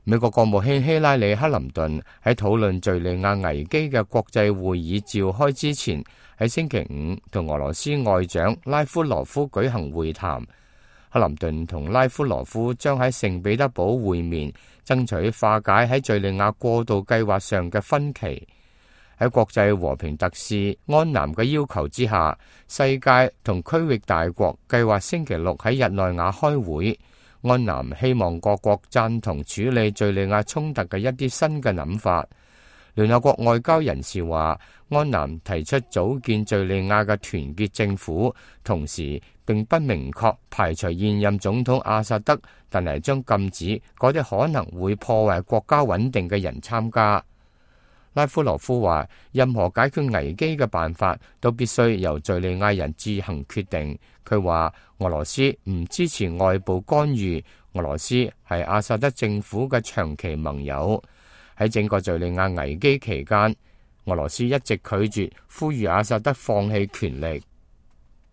美國國務卿希拉里·克林頓喺討論敘利亞危機嘅國際會議召開之前，喺星期五同俄羅斯外長拉夫羅夫舉行會談。克林頓同拉夫羅夫將喺聖彼得堡會面，爭取化解喺敘利亞過渡計劃上嘅分歧。喺國際和平特使安南嘅要求之下，世界同區域大國計劃星期六喺日內瓦開會。安南希望各國贊同處理敘利亞衝突嘅一啲新嘅諗法。聯合國外交人士話，安南提出組建敘利亞嘅團結政府，同時並不明確排除現任總統阿薩德，但係將禁止嗰啲可能會破壞國家穩定嘅人參加。拉夫羅夫話，任何解決危機嘅辦法都必須由敘利亞人自行決定。佢話，俄羅斯唔支持外部干預，俄羅斯係阿薩德政府嘅長期盟友。喺整個敘利亞危機期間，俄羅斯一直拒絕呼籲阿薩德放棄權力。